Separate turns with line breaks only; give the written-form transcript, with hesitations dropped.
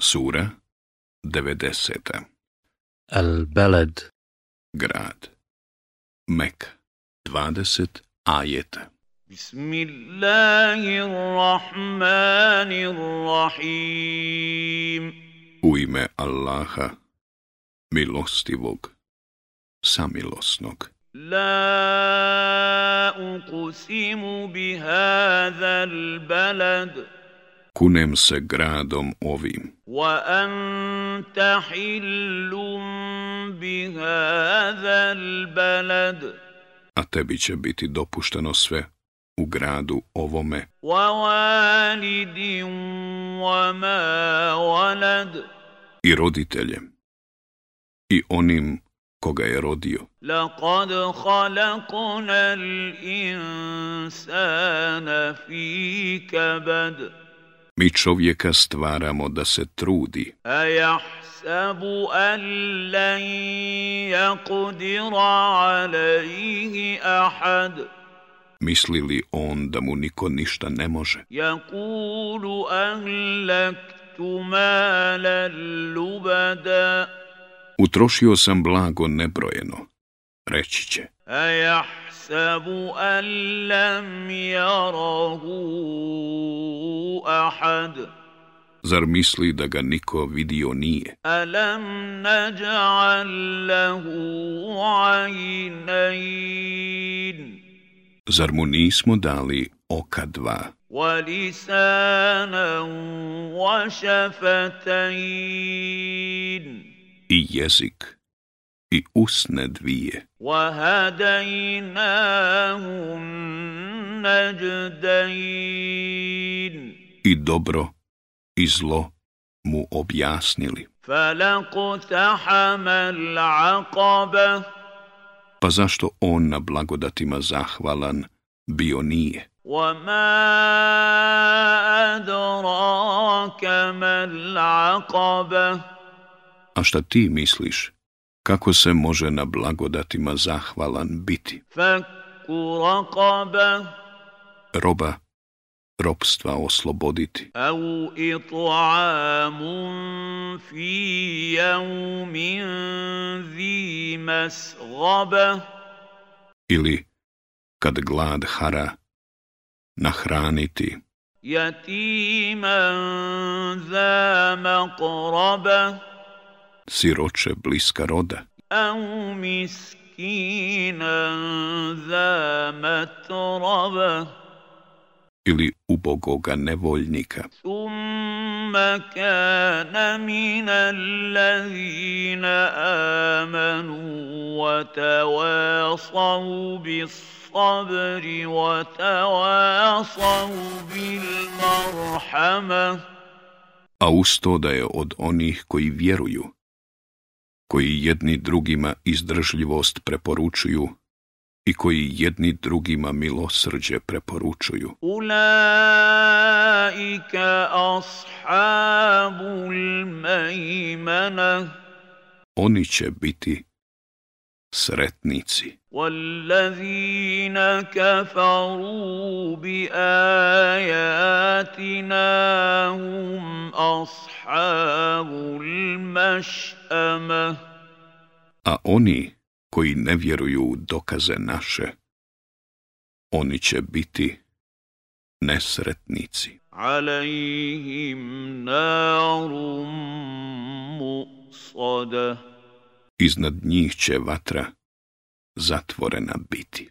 Sura 90.
Al-Balad.
Grad. Mek. 20 ajeta.
Bismillahirrahmanirrahim.
U ime Allaha, milostivog, samilosnog.
La uqsimu bihadhal balad.
Kunem se gradom ovim,
Wa anta hillum bihadhal balad.
a tebi će biti dopušteno sve u gradu ovome
Wa walidin wa ma walad.
i roditeljem i onim koga je rodio.
Laqad khalaqna al-insana fi kabad.
Mi čovjeka stvaramo da se trudi,
Ayahsabu an lan yaqdira alayhi ahad.
misli li on da mu niko ništa ne može.
Yaqulu ahlaktu malan lubada.
Utrošio sam blago nebrojeno, reći će.
Ayahsabu an lam yarahu ahad.
Zar misli da ga niko vidio nije?
Alam naj'al lahu aynayn.
Zar mu nismo dali oka dva
Wa lisanan wa shafatayn.
i jezik i usne dvije
Wa hadaynahu najdayn.
i dobro i zlo mu objasnili?
Falaqtahama al-aqaba.
Pa zašto on na blagodatima zahvalan bio nije?
وما أدراك ما العقبة.
A šta ti misliš? Kako se može na blagodatima zahvalan biti?
فك رقبة.
Roba robstva osloboditi
أو إطعام في يوم ذي مسغبة.
ili kad glad hara nahraniti
يتيما ذا مقربة.
siroče bliska roda
أو مسكينا ذا متربة.
ili ubogoga nevoljnika
ثم كان من الذين آمنوا وتواصوا بالصبر وتواصوا بالمرحمة.
a uz to da je od onih koji vjeruju, koji jedni drugima izdržljivost preporučuju i koji jedni drugima milosrđe preporučuju.
Ulaika ashabul mejmana.
Oni će biti sretnici.
والذين كفروا بآياتنا هم أصحاب المشأمة.
A oni koji ne vjeruju u dokaze naše, oni će biti nesretnici.
عليهم نار مؤصدة.
Iznad njih će vatra zatvorena biti.